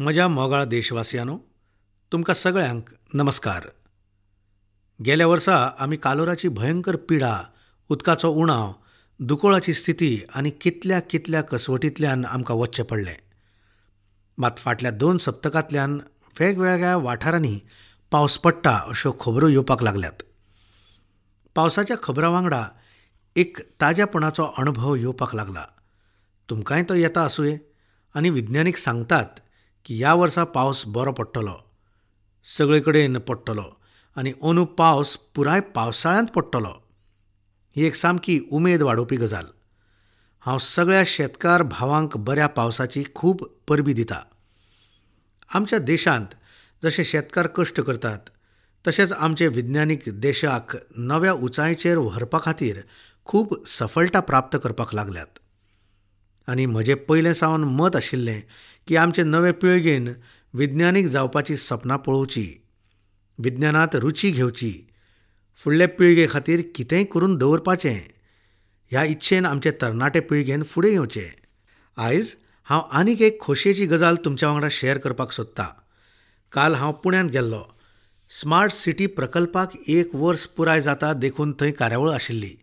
म्हज्या मोगाळ देशवासियांनो, तुमकां सगळ्यांक नमस्कार. गेल्या वर्सा आमी कालोराची भयंकर पिडा, उदकाचो उणाव, दुकोळाची स्थिती आनी कितल्या कितल्या कसवटींतल्यान आमकां वचचें पडलें. मात फाटल्या 2 सप्तकांतल्यान वेगवेगळ्या वाठारांनी पावस पडटा अश्यो खबरो येवपाक लागल्यात. पावसाच्या खबरां वांगडा एक ताज्यापणाचो अणभव येवपाक लागला. तुमकांय तो येता आसुये. आनी विज्ञानीक सांगतात की ह्या वर्सा पावस बरो पडटलो, सगळे कडेन पडटलो आनी अंदू पावस पुराय पावसाळ्यांत पडटलो. ही एक सामकी उमेद वाडोवपी गजाल. हांव सगळ्या शेतकार भावांक बऱ्या पावसाची खूब परबी दिता. आमच्या देशांत जशे शेतकार कश्ट करतात तशेंच आमचे विज्ञानीक देशाक नव्या उंचायेचेर व्हरपा खातीर खूब सफलता प्राप्त करपाक लागल्यात. आनी म्हजें पयलें सावन मत आशिल्लें की आमचे नवे पिळगेन विज्ञानीक जावपाची सपनां पळोवची, विज्ञानांत रुची घेवची, फुडले पिळगे खातीर कितेंय करून दवरपाचें ह्या इच्छेन आमचे तरणाटे पिळगेन फुडें येवचें. आयज हांव आनीक एक खोशयेची गजाल तुमच्या वांगडा शेअर करपाक सोदतां. काल हांव पुण्यांत गेल्लो. स्मार्ट सिटी प्रकल्पाक 1 वर्स पुराय जाता देखून थंय कार्यावळ आशिल्ली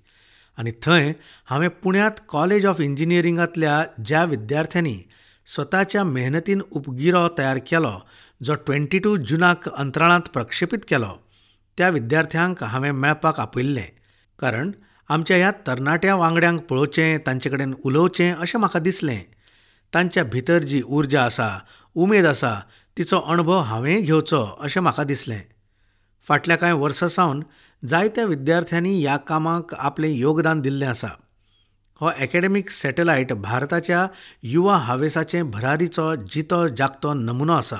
आनी थंय हांवें पुण्यांत कॉलेज ऑफ इंजिनियरिंगांतल्या ज्या विद्यार्थ्यांनी स्वताच्या मेहनतीन उपगिरो तयार केलो, जो 22 जुनाक अंतराळांत प्रक्षेपीत केलो, त्या विद्यार्थ्यांक हांवें मेळपाक आपयिल्लें. कारण आमच्या ह्या तरणाट्या वांगड्यांक पळोवचें, तांचे कडेन उलोवचें अशें म्हाका दिसलें. तांच्या भितर जी उर्जा आसा, उमेद आसा, तिचो अणभव हांवेंय घेवचो अशें म्हाका दिसलें. फाटल्या कांय वर्सां सावन जायत्या विद्यार्थ्यांनी ह्या कामाक आपलें योगदान दिल्लें आसा. हो एकेडमीक सॅटेलायट भारताच्या युवा हावेसाचे भरारीचो जितो जागतो नमुनो आसा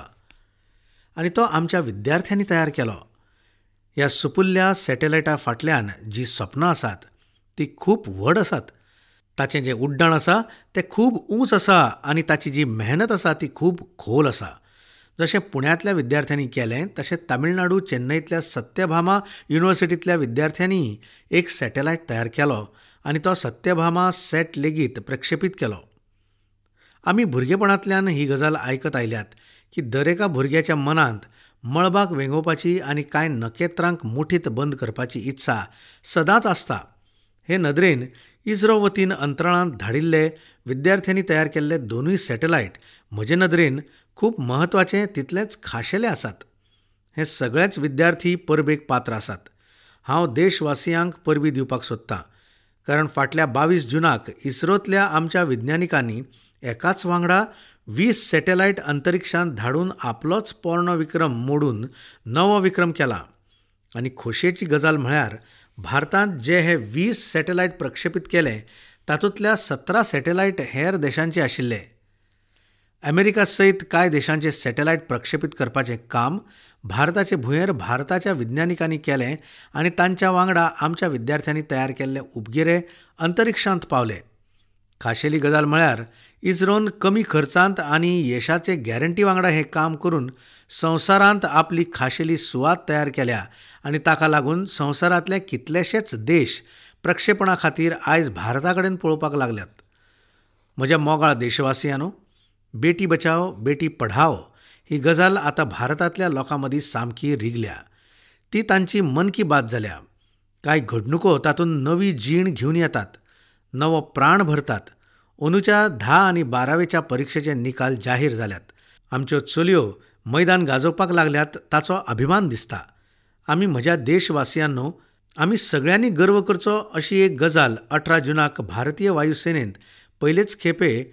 आनी तो आमच्या विद्यार्थ्यांनी तयार केलो. ह्या सुपुल्ल्या सॅटेलायटा फाटल्यान जी सपनां आसात ती खूब व्हड आसात. ताचें जें उड्डाण आसा तें खूब ऊंच आसा आनी ताची जी मेहनत आसा ती खूब खोल आसा. जशें पुण्यांतल्या विद्यार्थ्यांनी केलें तशें तामिळनाडू चेन्नईतल्या सत्यभामा युनिव्हर्सिटींतल्या विद्यार्थ्यांनी एक सॅटेलायट तयार केलो आनी तो सत्यभामा सेट लेगीत प्रक्षेपीत केलो. आमी भुरगेपणांतल्यान ही गजाल आयकत आयल्यात की दरेका भुरग्याच्या मनांत मळबाक वेंगोवपाची आनी कांय नखेत्रांक मुठींत बंद करपाची इत्सा सदांच आसता. हे नदरेन इस्रो वतीन अंतराळांत धाडिल्ले विद्यार्थ्यांनी तयार केल्ले 2 सॅटेलायट म्हजे नदरेन खूब म्हत्वाचे तितलेच खाशेले आसात. हे सगळेच विद्यार्थी परबेक पात्र आसात. हांव देशवासियांक परबी दिवपाक सोदतां, कारण फाटल्या 22 जुनाक इस्रोंतल्या आमच्या विज्ञानिकांनी एकाच वांगडा 20 सॅटेलायट अंतरिक्षांत धाडून आपलोच पोरणो विक्रम मोडून नवो विक्रम केला. आनी खोशयेची गजाल म्हळ्यार भारतांत जे हे 20 सॅटेलायट प्रक्षेपीत केले तातूंतल्या 17 सॅटेलायट हेर देशांचे आशिल्ले. अमेरिका सयत कांय देशांचे सॅटेलायट प्रक्षेपीत करपाचें काम भारताचे भुंयेर भारताच्या विज्ञानिकांनी केलें आनी तांच्या वांगडा आमच्या विद्यार्थ्यांनी तयार केल्ले उपगिरे अंतरिक्षांत पावले. खाशेली गजाल म्हळ्यार इस्रोन कमी खर्चांत आनी येशाचे गॅरंटी वांगडा हें काम करून संवसारांत आपली खाशेली सुवात तयार केल्या आनी ताका लागून संवसारांतले कितलेशेच देश प्रक्षेपणा खातीर आयज भारता कडेन पळोवपाक लागल्यात. म्हज्या मोगाळ देशवासियांनो, बेटी बचाओ बेटी पढाओ ही गजाल आतां भारतांतल्या लोकां मदीं सामकी रिगल्या. ती तांची मन की बात जाल्या. कांय घडणुको तातूंत नवी जीण घेवन येतात, नवो प्राण भरतात. अंदूच्या 10 आनी 12वेच्या परिक्षेचे निकाल जाहीर जाल्यात. आमच्यो चलयो मैदान गाजोवपाक लागल्यात ताचो अभिमान दिसता. आमी म्हज्या देशवासियांनो, आमी सगळ्यांनी गर्व करचो अशी एक गजाल 18 जुनाक भारतीय वायुसेनेंत पयलेच खेपे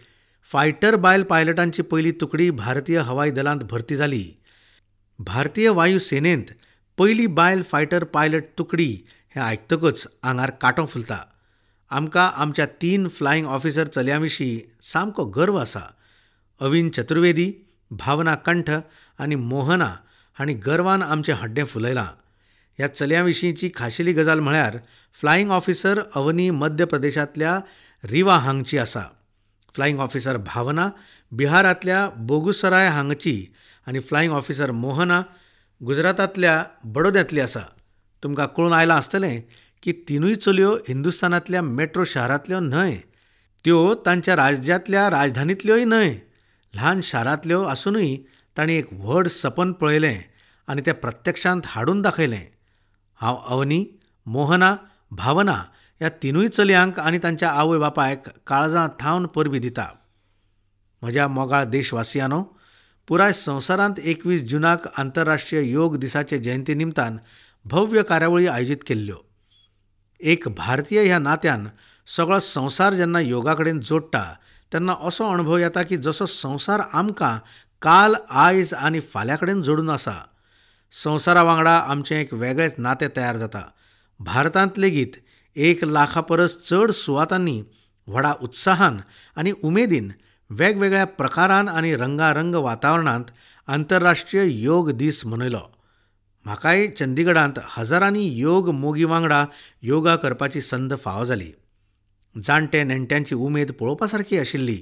फायटर बायल पायलटांची पयली तुकडी भारतीय हवाई दलांत भरती जाली. भारतीय वायुसेनेंत पयली बायल फायटर पायलट तुकडी हें आयकतकच आंगार कांटो फुलता. आमकां आमच्या 3 फ्लायिंग ऑफिसर चलयां विशीं सामको गर्व आसा. अविन चतुर्वेदी, भावना कंठ आनी मोहना हांणी गर्वान आमचें हड्डें फुलयलां. ह्या चलयां विशींची खाशेली गजाल म्हळ्यार फ्लायिंग ऑफिसर अवनी मध्य प्रदेशांतल्या रिवा हांगची आसा. फ्लायिंग ऑफिसर भावना बिहारांतल्या बोगुसराय हांगची आनी फ्लायिंग ऑफिसर मोहना गुजरातांतल्या बडोद्यांतली आसा. तुमकां कळून आयलां आसतलें की 3 चलयो हिंदुस्थानांतल्या मेट्रो शारांतल्यो न्हय, त्यो तांच्या राज्यांतल्या राजधानींतल्योय न्हय. ल्हान शारांतल्यो आसुनूय तांणी एक व्हड सपन पळयलें आनी तें प्रत्यक्षांत हाडून दाखयलें. हांव अवनी, मोहना, भावना ह्या तिनूय चलयांक आनी तांच्या आवय बापायक काळजां थावन परबीं दिता. म्हज्या मोगाळ देशवासियांनो, पुराय संवसारांत 21 जुनाक आंतरराष्ट्रीय योग दिसाचे जयंती निमतान भव्य कार्यावळी आयोजीत केल्ल्यो. एक भारतीय ह्या नात्यान सगळो संवसार जेन्ना योगा कडेन जोडटा तेन्ना असो अणभव येता की जसो संवसार आमकां काल, आयज आनी फाल्यां कडेन जोडून आसा. संवसारा वांगडा आमचें एक वेगळेंच नातें तयार जाता. भारतांत लेगीत 1 लाखा परस चड सुवातांनी व्हडा उत्साहान आनी उमेदीन वेगवेगळ्या प्रकारान आनी रंगारंग वातावरणांत आंतरराष्ट्रीय योग दीस मनयलो. म्हाकाय चंदीगडांत हजारांनी योग मोगी वांगडा योगा करपाची संद फावो जाली. जाणटे नेणट्यांची उमेद पळोवपा सारकी आशिल्ली.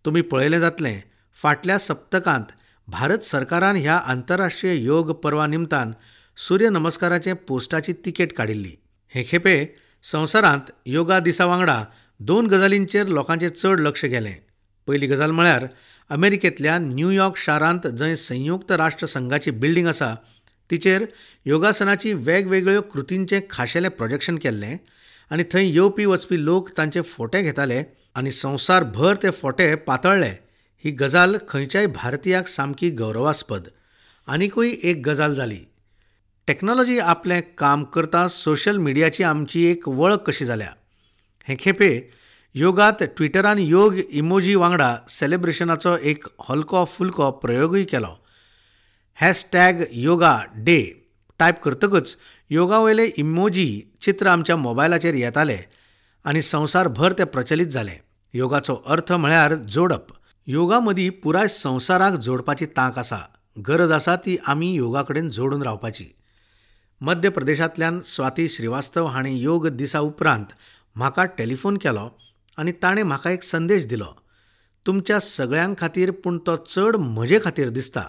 तुमी पळयलें जातलें, फाटल्या सप्तकांत भारत सरकारान ह्या आंतरराष्ट्रीय योग पर्वा निमतान सूर्य नमस्काराचे पोस्टाची तिकेट काडिल्ली. हे खेपे संवसारांत योगा दिसा वांगडा 2 गजालींचेर लोकांचें चड लक्ष गेलें. पयली गजाल म्हळ्यार अमेरिकेंतल्या न्यूयॉर्क शारांत जंय संयुक्त राष्ट्र संघाची बिल्डींग आसा तिचेर योगासनाची वेगवेगळ्यो कृतींचें खाशेलें प्रोजेक्शन केल्लें आनी थंय येवपी वचपी लोक तांचे फोटे घेताले आनी संवसारभर ते फोटे पातळ्ळे. ही गजाल खंयच्याय भारतीयाक सामकी गौरवास्पद. आनिकूय एक गजाल जाली, टॅक्नॉलॉजी आपलें काम करता सोशल मिडियाची आमची एक वळख कशी जाल्या. हे खेपे योगात ट्विटरान योग इमोजी वांगडा सेलिब्रेशनाचो एक हलको फुलको प्रयोगूय केलो. हॅशटॅग योगा डे टायप करतकच योगा वयले इमोजी चित्र आमच्या मोबायलाचेर येताले आनी संवसारभर ते प्रचलित जाले. योगाचो अर्थ म्हळ्यार जोडप. योगा मदीं पुराय संवसाराक जोडपाची तांक आसा. गरज आसा ती आमी योगा कडेन जोडून रावपाची. मध्य प्रदेशांतल्यान स्वाती श्रीवास्तव हाणें योग दिसा उपरांत म्हाका टेलिफोन केलो आनी ताणें म्हाका एक संदेश दिलो. तुमच्या सगळ्यां खातीर, पूण तो चड म्हजे खातीर दिसता.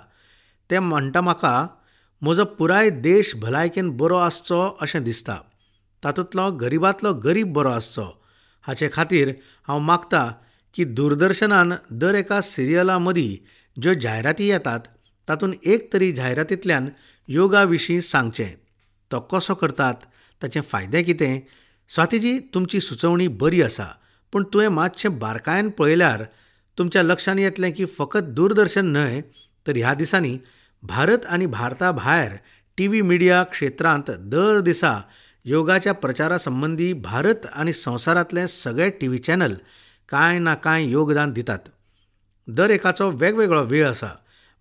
ते म्हणटा म्हाका, म्हजो पुराय देश भलायकेन बरो आसचो अशें दिसता. तातूंतलो गरिबांतलो गरीब बरो आसचो. हाचे खातीर हांव मागता की दूरदर्शनान दर एका सिरियला मदीं ज्यो जायराती येतात तातूंत एक तरी जायरातींतल्यान योगा विशीं सांगचें. तो कसो करतात, ताचे फायदे कितें. स्वातीजी, तुमची सुचोवणी बरी आसा, पूण तुवें मातशें बारकायेन पळयल्यार तुमच्या लक्षांत येतलें की फकत दूरदर्शन न्हय तर ह्या दिसांनी भारत आनी भारता भायर टीव्ही मिडिया क्षेत्रांत दर दिसा योगाच्या प्रचारा संबंदी भारत आनी संवसारांतले सगळे टीव्ही चॅनल कांय ना कांय योगदान दितात. दर एकाचो वेगवेगळो वेळ आसा,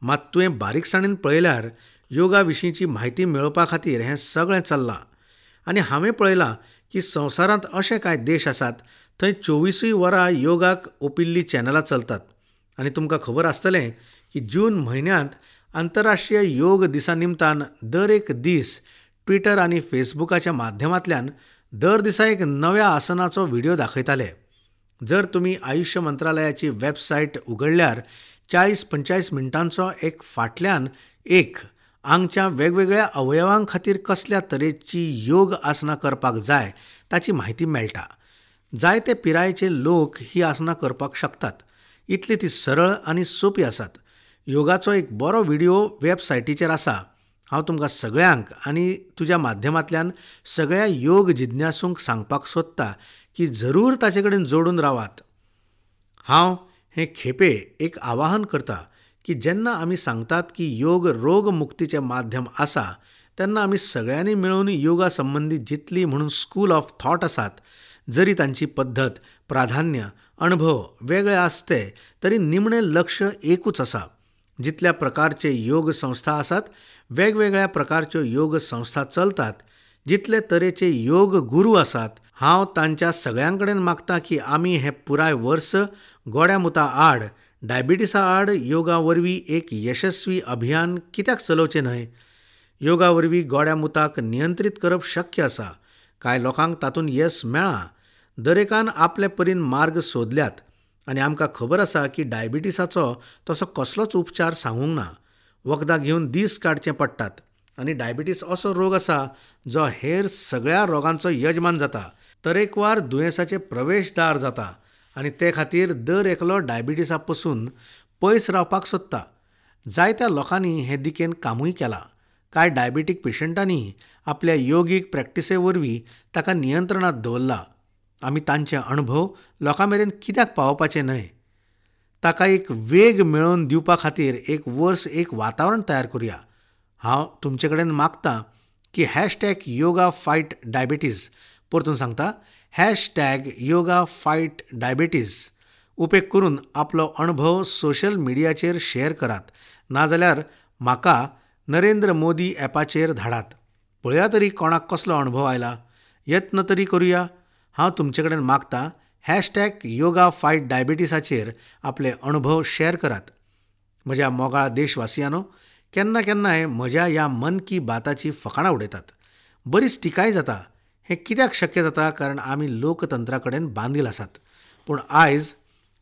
मात तुवें बारीकसाणेन पळयल्यार योगा विशींची म्हायती मेळोवपा खातीर हें सगळें चल्लां. आनी हांवें पळयलां की संवसारांत अशे कांय देश आसात थंय 24 वरां योगाक ओंपिल्लीं चॅनलां चलतात. आनी तुमकां खबर आसतलें की जून म्हयन्यांत आंतरराष्ट्रीय योग दिसा निमतान दर एक दीस ट्विटर आनी फेसबुकाच्या माध्यमांतल्यान दर दिसा एक नव्या आसनाचो व्हिडियो दाखयताले. जर तुमी आयुष्य मंत्रालयाची वेबसायट उगडल्यार 40-45 मिनटांचो एक फाटल्यान एक आंगच्या वेगवेगळ्या अवयवां खातीर कसल्या तरेची योग आसनां करपाक जाय ताची म्हायती मेळटा. जायते पिरायेचे लोक ही आसनां करपाक शकतात, इतली ती सरळ आनी सोंपी आसात. योगाचो एक बरो व्हिडियो वेबसायटीचेर आसा. हांव तुमकां सगळ्यांक आनी तुज्या माध्यमांतल्यान सगळ्या योग जिज्ञासूंक सांगपाक सोदता की जरूर ताचे कडेन जोडून रावात. हांव हे खेपे एक आवाहन करता की जेन्ना आमी सांगतात की योग रोग मुक्तीचें माध्यम आसा तेन्ना आमी सगळ्यांनी मेळून योगा संबंदी जितली म्हणून स्कूल ऑफ थॉट आसात, जरी तांची पद्दत, प्राधान्य, अणभव वेगळे आसते तरी निमणें लक्ष एकूच आसा. जितल्या प्रकारचे योग संस्था आसात, वेगवेगळ्या प्रकारच्यो योग संस्था चलतात, जितले तरेचे योग गुरू आसात, हांव तांच्या सगळ्यां कडेन मागता की आमी हें पुराय वर्स गोड्या मुता आड, डायबिटीसा आड योगा वरवीं एक यशस्वी अभियान कित्याक चलोवचें न्हय? योगा वरवीं गोड्या मुताक नियंत्रीत करप शक्य आसा. कांय लोकांक तातूंत येस मेळ्ळां. दरेकान आपले परीन मार्ग सोदल्यात आनी आमकां खबर आसा की डायबिटीसाचो तसो कसलोच उपचार सांगूंक ना. वखदां घेवन दीस काडचे पडटात आनी डायबिटीस असो रोग आसा जो हेर सगळ्या रोगांचो यजमान जाता, तरेकवार दुयेंसाचें प्रवेशदार जाता आनी ते खातीर दर एकलो डायबिटीसा पसून पयस रावपाक सोदता. जायत्या लोकांनी हे दिकेन कामूय केलां. कांय डायबेटीक पेशंटांनी आपल्या योगीक प्रॅक्टिसे वरवीं ताका नियंत्रणांत दवरला. आमी तांचे अणभव लोकां मेरेन कित्याक पावोवपाचे न्हय? ताका एक वेग मेळोवन दिवपा खातीर एक वर्स एक वातावरण तयार करुया. हांव तुमचे कडेन मागतां की हॅशटॅग योगा फायट डायबेटीज, परतून सांगता, हॅशटॅग योगा फायट डायबेटीज उपेग करून आपलो अणभव सोशल मिडियाचेर शेअर करात, नाजाल्यार म्हाका नरेंद्र मोदी ॲपाचेर धाडात. पळया तरी कोणाक कसलो अणभव आयला. यत्न तरी करुया. हांव तुमचे कडेन मागतां, हॅशटॅग योगा फायट डायबेटीसाचेर आपले अणभव शेअर करात. म्हज्या मोगाळ देशवासियांनो, केन्ना केन्नाय म्हज्या ह्या मन की बाताची फकाणां उडयतात, बरीच टिकाय जाता. हें कित्याक शक्य जाता? कारण आमी लोकतंत्रा कडेन बांदील आसात. पूण आयज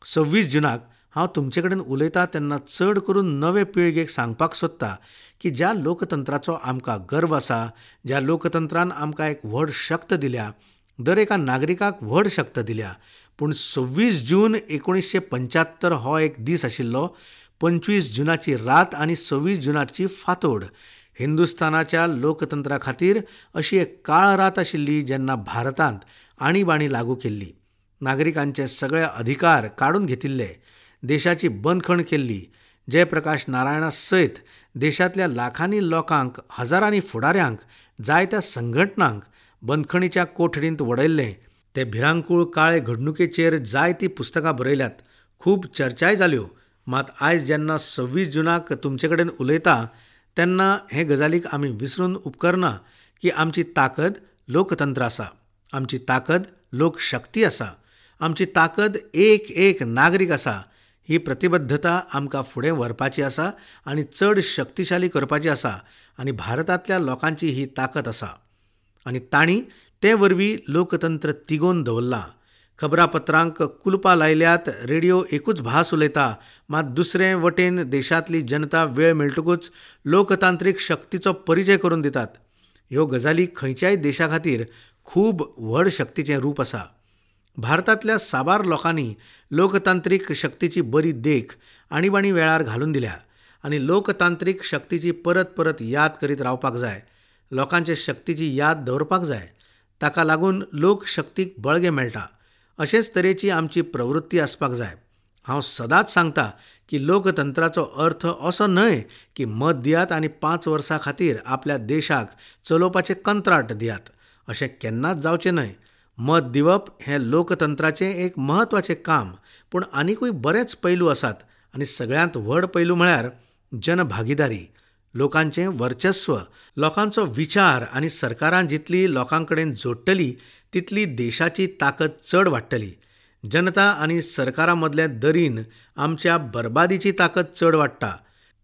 26 जुनाक हांव तुमचे कडेन उलयता तेन्ना चड करून नवे पिळगेक सांगपाक सोदता की ज्या लोकतंत्राचो आमकां गर्व आसा, ज्या लोकतंत्रान आमकां एक व्हड शक्त दिल्या, दर एका नागरिकाक व्हड शक्त दिल्या, पूण 26 जून 1975 हो एक दीस आशिल्लो. 25 जुनाची रात आनी 26 जुनाची फांतोड हिंदुस्थानाच्या लोकतंत्रा खातीर अशी एक काळ रात आशिल्ली जेन्ना भारतांत आणीबाणी लागू केल्ली, नागरिकांचे सगळे अधिकार काडून घेतिल्ले, देशाची बंदखण केल्ली. जयप्रकाश नारायणा सयत देशांतल्या लाखांनी लोकांक, हजारांनी फुडाऱ्यांक, जायत्या संघटनांक बंदखणीच्या कोठडींत वडयल्लें. ते भिरांकूळ काळे घडणुकेचेर जायतीं पुस्तकां बरयल्यात, खूब चर्चाय जाल्यो. मात आयज जेन्ना 26 जुनाक तुमचे कडेन उलयता तेन्ना हे गजालीक आमी विसरून उपकरना की आमची ताकद लोकतंत्र आसा, आमची ताकद लोकशक्ती आसा, आमची ताकद एक एक नागरीक आसा. ही प्रतिबद्धता आमकां फुडें व्हरपाची आसा आनी चड शक्तिशाली करपाची आसा आनी भारतांतल्या लोकांची ही ताकद आसा आनी तांणी ते वरवीं लोकतंत्र तिगोवन दवरलां. खबरापत्रांक कुलपां लायल्यात, रेडियो एकूच भास उलयता, मात दुसरे वटेन देशांतली जनता वेळ मेळटकूच लोकतांत्रीक शक्तीचो परिचय करून दितात. ह्यो गजाली खंयच्याय देशा खातीर खूब व्हड शक्तीचें रूप आसा. भारतांतल्या साबार लोकांनी लोकतांत्रीक शक्तीची बरी देख आणीबाणी वेळार घालून दिल्या आनी लोकतांत्रीक शक्तीची परत परत याद करीत रावपाक जाय. लोकांचे शक्तीची याद दवरपाक जाय. ताका लागून लोकशक्तीक बळगें मेळटा. अशेच तरेची आमची प्रवृत्ती आसपाक जाय. हांव सदांच सांगता की लोकतंत्राचो अर्थ असो न्हय की मत दियात आनी 5 वर्सां खातीर आपल्या देशाक चलोवपाचें कंत्राट दियात. अशें केन्नाच जावचें न्हय. मत दिवप हें लोकतंत्राचें एक म्हत्वाचें काम, पूण आनिकूय बरेच पैलू आसात आनी सगळ्यांत व्हड पैलू म्हळ्यार जनभागीदारी, लोकांचें वर्चस्व, लोकांचो विचार आनी सरकारां जितली लोकां कडेन जोडटली तितली देशाची ताकद चड वाडटली. जनता आनी सरकारां मदले दरीन आमच्या बरबादीची ताकद चड वाडटा.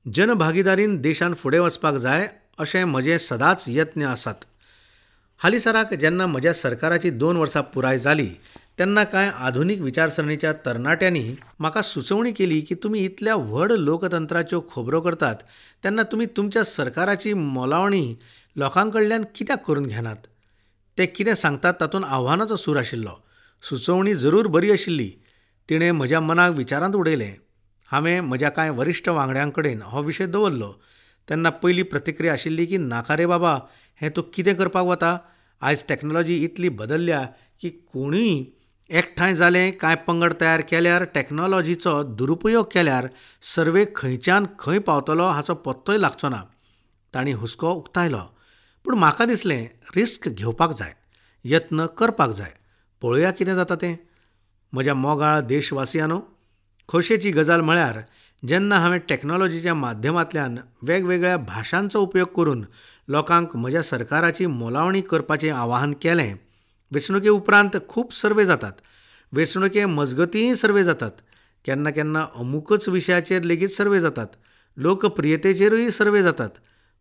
जनभागीदारीन देशान फुडें वचपाक जाय अशें म्हजे सदांच यत्न आसात. हालींसराक जेन्ना म्हज्या सरकाराची 2 वर्सां पुराय जाली तेन्ना कांय आधुनीक विचारसरणीच्या तरणाट्यांनी म्हाका सुचोवणी केली की तुमी इतल्या व्हड लोकतंत्राच्यो खबरो करतात तेन्ना तुमी तुमच्या सरकाराची मोलावणी लोकां कडल्यान कित्याक करून घेनात? ते कितें सांगतात तातूंत आव्हानाचो सूर आशिल्लो. सुचोवणी जरूर बरी आशिल्ली. तिणें म्हज्या मनाक विचारांत उडयलें. हांवें म्हज्या कांय वरिश्ठ वांगड्यां कडेन हो विशय दवरलो तेन्ना पयली प्रतिक्रिया आशिल्ली की नाका रे बाबा, हें तूं कितें करपाक वता? आयज टॅक्नोलॉजी इतली बदलल्या की कोणूय एकठांय जालें, कांय पंगड तयार केल्यार, टॅक्नोलॉजीचो दुरुपयोग केल्यार सर्वे खंयच्यान खंय पावतलो हाचो पत्तोय लागचो ना. तांणी हुस्को उक्तायलो. पूण म्हाका दिसलें रिस्क घेवपाक जाय, यत्न करपाक जाय, पळोवया कितें जाता तें. म्हज्या मोगाळ देशवासियांनो, खोशयेची गजाल म्हळ्यार जेन्ना हांवें टॅक्नोलॉजीच्या माध्यमांतल्यान वेगवेगळ्या भाशांचो उपयोग करून लोकांक म्हज्या सरकाराची मोलावणी करपाचें आवाहन केलें, वेंचणुके उपरांत खूब सर्वे जातात, वेंचणुके मजगतींय सर्वे जातात, केन्ना केन्ना अमुकच विशयाचेर लेगीत सर्वे जातात, लोकप्रियतेचेरूय सर्वे जातात,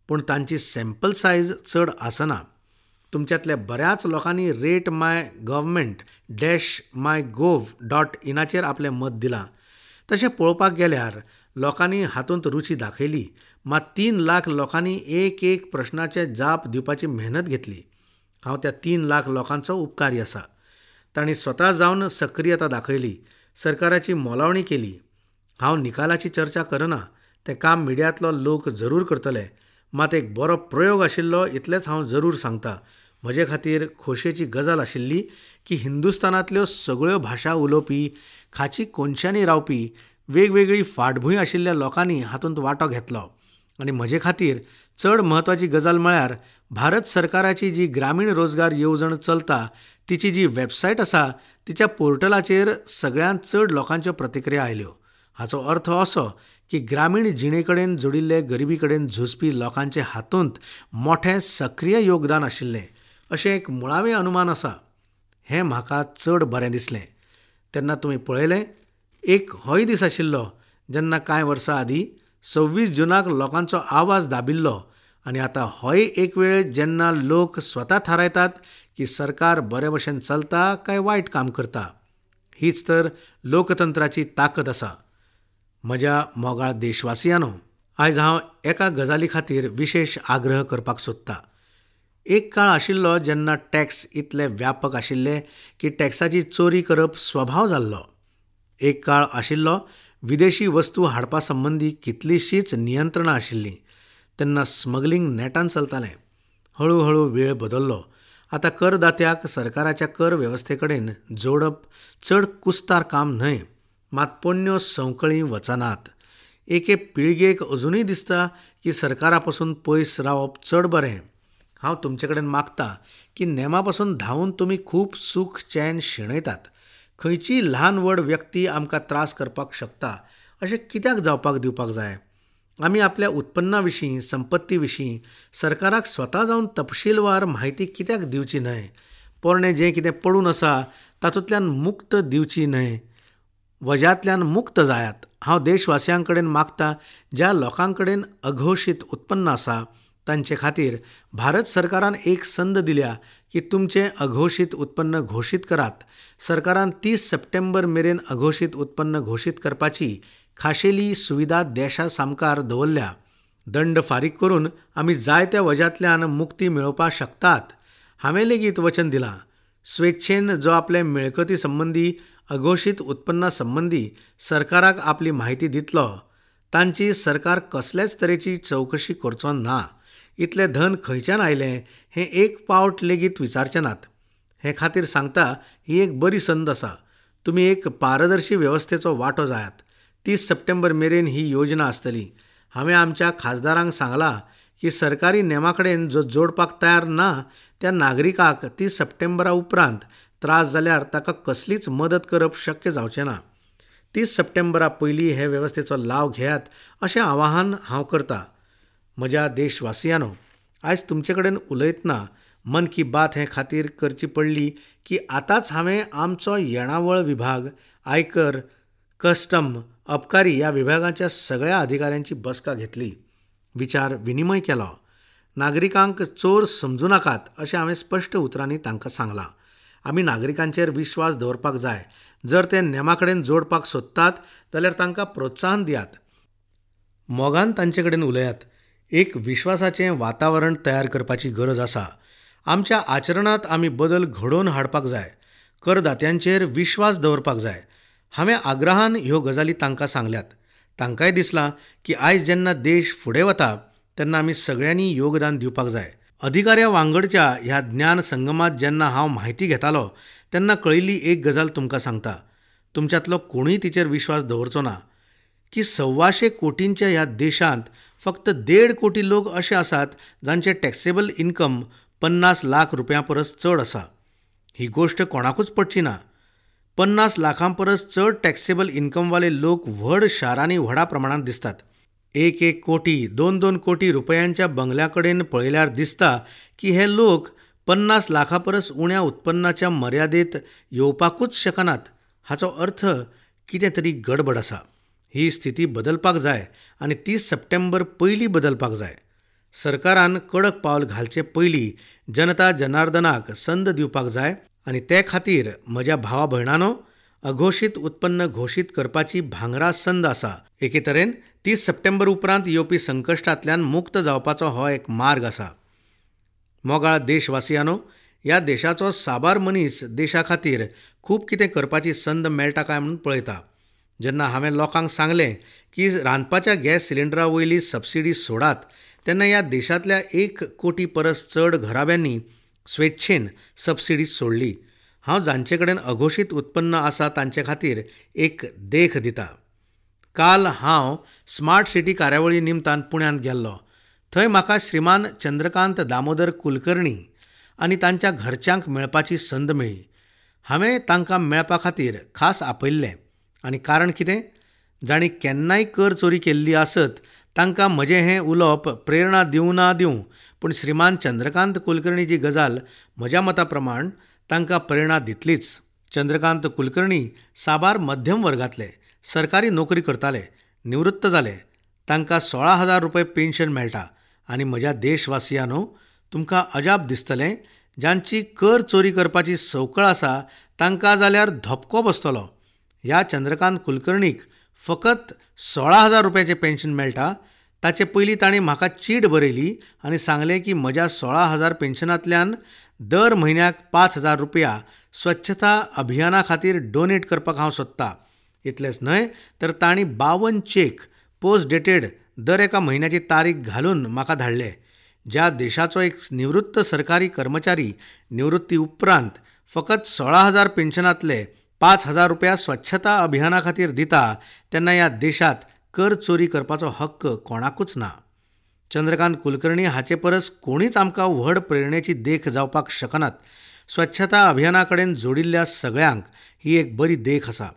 पूण तांची सॅम्पल सायज चड आसना. तुमच्यांतल्या बऱ्याच लोकांनी rate my government dash my gov dot इनाचेर आपलें मत दिलां. तशें पळोवपाक गेल्यार लोकांनी हातूंत रुची दाखयली, मात 3 लाख लोकांनी एक एक प्रश्नाचे जाप दिवपाची मेहनत घेतली. हांव त्या 3 लाख लोकांचो उपकारी आसा. तांणी स्वता जावन सक्रियता दाखयली, सरकाराची मोलावणी केली. हांव निकालाची चर्चा करना, तें काम मिडियांतलो लोक जरूर करतले. मात एक बरो प्रयोग आशिल्लो इतलेंच हांव जरूर सांगता. म्हजे खातीर खोशयेची गजाल आशिल्ली की हिंदुस्थानांतल्यो सगळ्यो भाशा उलोवपी, खाची कोनशांनी रावपी, वेगवेगळी फाटभूंय आशिल्ल्या लोकांनी हातूंत वांटो घेतलो. आनी म्हजे खातीर चड म्हत्वाची गजाल म्हळ्यार भारत सरकाराची जी ग्रामीण रोजगार येवजण चलता तिची जी वेबसायट आसा तिच्या पोर्टलाचेर सगळ्यांत चड लोकांच्यो प्रतिक्रिया आयल्यो. हाचो अर्थ असो की ग्रामीण जिणे कडेन जोडिल्ले गरिबी कडेन झुजपी लोकांचे हातूंत मोठें सक्रीय योगदान आशिल्लें अशें एक मुळावें अनुमान आसा. हें म्हाका चड बरें दिसलें. तेन्ना तुमी पळयलें, एक होय दीस आशिल्लो जेन्ना कांय वर्सां आदीं 26 जुनाक लोकांचो आवाज दाबिल्लो आनी आतां होय एक वेळ जेन्ना लोक स्वता थारायतात की सरकार बरे भशेन चलता काय वायट काम करता. हीच तर लोकतंत्राची ताकद आसा. म्हज्या मोगाळ देशवासियांनो, आयज हांव एका गजाली खातीर विशेश आग्रह करपाक सोदता. एक काळ आशिल्लो जेन्ना टॅक्स इतले व्यापक आशिल्ले की टॅक्साची चोरी करप स्वभाव जाल्लो. एक काळ आशिल्लो विदेशी वस्तू हाडपा संबंदी कितलीशींच नियंत्रणां आशिल्लीं. तेन्ना स्मगलिंग नेटान चलतालें. हळुहळू वेळ बदल्लो. आतां करदात्याक सरकाराच्या कर वेवस्थे कडेन जोडप चड कुस्तार काम न्हय. मात पोन्न्यो संवकळी वचनात. एके पिळगेक अजुनूय दिसता की सरकारा पसून पयस रावप चड बरें. हांव तुमचे कडेन मागता की नेमा पसून धांवून तुमी खूब सूख चैन शेणयतात. खंयचीय ल्हान व्हड व्यक्ती आमकां त्रास करपाक शकता अशें कित्याक जावपाक दिवपाक जाय? आमी आपल्या उत्पन्ना विशीं, संपत्ती विशीं सरकाराक स्वता जावन तपशीलवार म्हायती कित्याक दिवची न्हय? पोरणें जें कितें पडून आसा तातूंतल्यान मुक्त दिवची न्हय? वज्यांतल्यान मुक्त जायात. हांव देशवासियां कडेन मागता, ज्या लोकां कडेन अघोशीत उत्पन्न आसा तांचे खातीर भारत सरकारान एक संद दिल्या की तुमचें अघोशीत उत्पन्न घोशीत करात. सरकारान 30 सप्टेंबर मेरेन अघोशीत उत्पन्न घोशीत करपाची खाशेली सुविधा देशा सामकार दवरल्या. दंड फारीक करून आमी जायत्या वज्यांतल्यान मुक्ती मेळोवपाक शकतात. हांवें लेगीत वचन दिलां, स्वेच्छेन जो आपले मिळकती संबंदी अघोशीत उत्पन्ना संबंदी सरकाराक आपली म्हायती दितलो तांची सरकार कसलेच तरेची चवकशी करचो ना. इतलें धन खंयच्यान आयलें हें एक पावट लेगीत विचारचे नात. हे खातीर सांगता, ही एक बरी संद आसा. तुमी एक पारदर्शी वेवस्थेचो वांटो जायात. 30 सप्टेंबर मेरेन ही योजना आसतली. हांवें आमच्या खासदारांक सांगलां की सरकारी नेमा कडेन जो जोडपाक तयार ना त्या नागरिकाक 30 सप्टेंबरा उपरांत त्रास जाल्यार ताका कसलीच मदत करप शक्य जावचें ना. 30 सप्टेंबरा पयलीं हे वेवस्थेचो लाव घेयात अशें आवाहन हांव करता. म्हज्या देशवासियांनो, आयज तुमचे कडेन उलयतना मन की बात हे खातीर करची पडली की आतांच हांवें आमचो येणावळ विभाग, आयकर, कस्टम, अबकारी ह्या विभागाच्या सगळ्या अधिकाऱ्यांची बसका घेतली. विचार विनिमय केलो. नागरिकांक चोर समजू नाकात अशें हांवें स्पश्ट उतरांनी तांकां सांगलां. आमी नागरिकांचेर विश्वास दवरपाक जाय. जर ते नेमा कडेन जोडपाक सोदतात जाल्यार तांकां प्रोत्साहन दियात. मोगान तांचे कडेन उलयात. एक विश्वासाचें वातावरण तयार करपाची गरज आसा. आमच्या आचरणांत आमी बदल घडोवन हाडपाक जाय. करदात्यांचेर विश्वास दवरपाक जाय. हांवें आग्रहान ह्यो गजाली तांकां सांगल्यात. तांकांय दिसलां की आयज जेन्ना देश फुडें वता तेन्ना आमी सगळ्यांनी योगदान दिवपाक जाय. अधिकाऱ्या वांगडच्या ह्या ज्ञान संगमांत जेन्ना हांव म्हायती घेतालो तेन्ना कळिल्ली एक गजाल तुमकां सांगता. तुमच्यांतलो कोणूय तिचेर विश्वास दवरचो ना की 125 कोटींच्या ह्या देशांत फक्त 1.5 कोटी लोक अशे आसात जांचे टॅक्सेबल इन्कम 50 लाख रुपयां परस चड आसा. ही गोश्ट कोणाकूच पडची ना. 50 लाखां परस चड टॅक्सेबल इन्कमवाले लोक व्हड शारांनी व्हडा प्रमाणांत दिसतात. 1-1 कोटी, 2-2 कोटी रुपयांच्या बंगल्या कडेन पळयल्यार दिसता की हे लोक 50 लाखां परस उण्या उत्पन्नाच्या मर्यादेत येवपाकूच शकनात. हाचो अर्थ कितें तरी गडबड आसा. ही स्थिती बदलपाक जाय आनी 30 सप्टेंबर पयलीं बदलपाक जाय. सरकारान कडक पावल घालचे पयलीं जनता जनार्दनाक संद दिवपाक जाय आनी ते खातीर म्हज्या भावा भयणांनो, अघोशीत उत्पन्न घोशीत करपाची भांगरा संद आसा. एके तरेन 30 सप्टेंबर उपरांत येवपी संकश्टांतल्यान मुक्त जावपाचो हो एक मार्ग आसा. मोगाळ देशवासियांनो, ह्या देशाचो साबार मनीस देशा खातीर खूब कितें करपाची संद मेळटा काय म्हूण पळयता. जेन्ना हांवें लोकांक सांगलें की रांदपाच्या गॅस सिलिंडरा वयली सबसिडी सोडात तेन्ना ह्या देशांतल्या 1 कोटी परस चड घराब्यांनी स्वेच्छेन सबसिडी सोडली. हांव जांचे कडेन अघोशीत उत्पन्न आसा तांचे खातीर एक देख दिता. काल हांव स्मार्ट सिटी कार्यावळी निमतान पुण्यांत गेल्लो. थंय म्हाका श्रीमान चंद्रकांत दामोदर कुलकर्णी आनी तांच्या घरच्यांक मेळपाची संद मेळ्ळी. हांवें तांकां मेळपा खातीर खास आपयल्लें आनी कारण कितें? जांणी केन्नाय कर चोरी केल्ली आसत तांकां म्हजें हें उलोवप प्रेरणा दिवं ना दिवं, पूण श्रीमान चंद्रकांत कुलकर्णीची गजाल म्हज्या मता प्रमाण तांकां प्रेरणा दितलीच. चंद्रकांत कुलकर्णी साबार मध्यम वर्गांतले, सरकारी नोकरी करताले, निवृत्त जाले. तांकां 16,000 रुपये पेन्शन मेळटा. आनी म्हज्या देशवासियांनो, तुमकां अजाप दिसतलें, जांची कर चोरी करपाची संवकळ आसा तांकां जाल्यार धपको बसतलो. ह्या चंद्रकांत कुलकर्णीक फकत 16,000 रुपयाचें पेन्शन मेळटा. ताचे पयलीं ताणें म्हाका चीट बरयली आनी सांगलें की म्हज्या 16,000 पेन्शनांतल्यान दर म्हयन्याक 5,000 रुपया स्वच्छता अभियाना खातीर डोनेट करपाक हांव सोदतां. इतलेंच न्हय तर तांणी 52 चेक पोस्ट डेटेड दर एका म्हयन्याची तारीख घालून म्हाका धाडले. ज्या देशाचो एक निवृत्त सरकारी कर्मचारी निवृत्ती उपरांत फकत 16,000 पेन्शनांतले 5,000 रुपया स्वच्छता अभियाना खातीर दिता तेन्ना ह्या देशांत कर चोरी करपाचो हक्क कोणाकूच ना. चंद्रकांत कुलकर्णी हाचे परस कोणीच आमकां व्हड प्रेरणेची देख जावपाक शकनात. स्वच्छता अभियाना कडेन जोडिल्ल्या सगळ्यांक ही एक बरी देख आसा.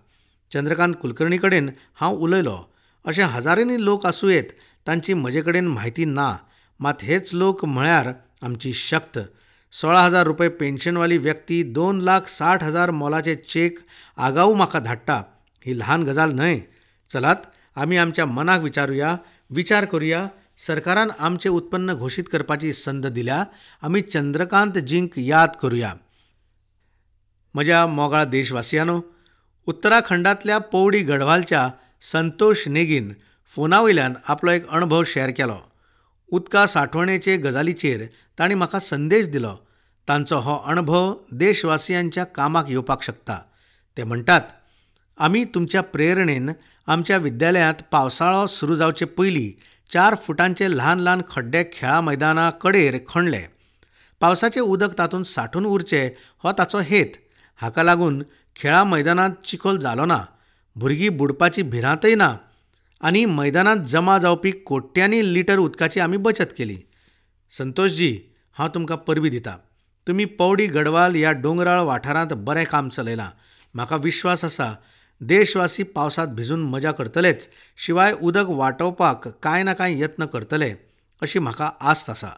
चंद्रकांत कुलकर्णी कडेन हांव उलयलो. अशे हजारांनी लोक आसूं येत, तांची म्हजे कडेन म्हायती ना, मात हेच लोक म्हळ्यार आमची शक्त. 16,000 रुपये पेन्शनवाली व्यक्ती 2,60,000 मोलाचे चेक आगाऊ म्हाका धाडटा, ही ल्हान गजाल न्हय. चलात आमी आमच्या मनाक विचारुया, विचार करुया. सरकारान आमचें उत्पन्न घोशीत करपाची संद दिल्या, आमी चंद्रकांत जींक याद करुया. म्हज्या मोगाळ देशवासियांनो, उत्तराखंडांतल्या पौडी गढवालच्या संतोष नेगीन फोना वयल्यान आपलो एक अणभव शेअर केलो. उदका सांठवणेचे गजालीचेर तांणी म्हाका संदेश दिलो. तांचो हो अणभव देशवासियांच्या कामाक येवपाक शकता. ते म्हणटात, आमी तुमच्या प्रेरणेन आमच्या विद्यालयांत पावसाळो सुरू जावचे पयलीं 4 फुटांचे ल्हान ल्हान खड्डे खेळा मैदाना कडेर खणले. पावसाचें उदक तातूंत सांठून उरचें हो ताचो हेत. हाका लागून खेळा मैदानांत चिखोल जालो ना, भुरगीं बुडपाची भिरांतय ना आनी मैदानांत जमा जावपी कोट्यांनी लिटर उदकाची आमी बचत केली. संतोषजी, हांव तुमकां परबीं दिता. तुमी पौडी गढवाल ह्या दोंगराळ वाठारांत बरें काम चलयलां. म्हाका विश्वास आसा देशवासी पावसांत भिजून मजा करतलेच, शिवाय उदक वाटोवपाक कांय ना कांय यत्न करतले अशी म्हाका आस्त आसा.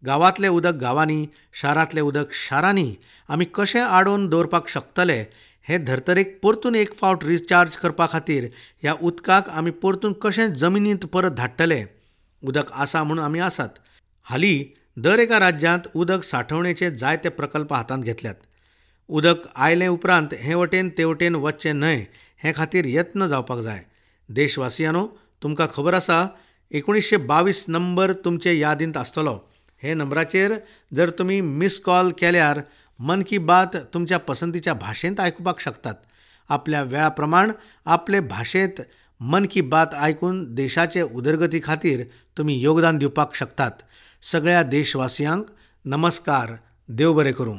गांवांतलें उदक गांवांनी, शारांतलें उदक शारांनी आमी कशें आडोवन दवरपाक शकतले हें धर्तरेक परतून एक फावट रिचार्ज करपा खातीर ह्या उदकाक आमी परतून कशें जमनींत परत धाडटले. उदक आसा म्हणून आमी आसात. हालीं दर एका राज्यांत उदक सांठवणेचे जायते प्रकल्प हातांत घेतल्यात. उदक आयले उपरांत हे वटेन ते वटेन वचचें न्हय हे खातीर यत्न जावपाक जाय. देशवासियांनो, तुमकां खबर आसा 1922 नंबर तुमचे यादींत आसतलो. हे नंबराचेर जर तुमी मिस कॉल केल्यार मन की बात तुमच्या पसंतीच्या भाशेंत आयकुपाक शकतात. आपल्या वेळा प्रमाण आपले भाशेंत मन की बात आयकून देशाचे उदरगती खातीर तुमी योगदान दिवपाक शकतात. सगळ्या देशवासियांक नमस्कार. देव बरें करूं.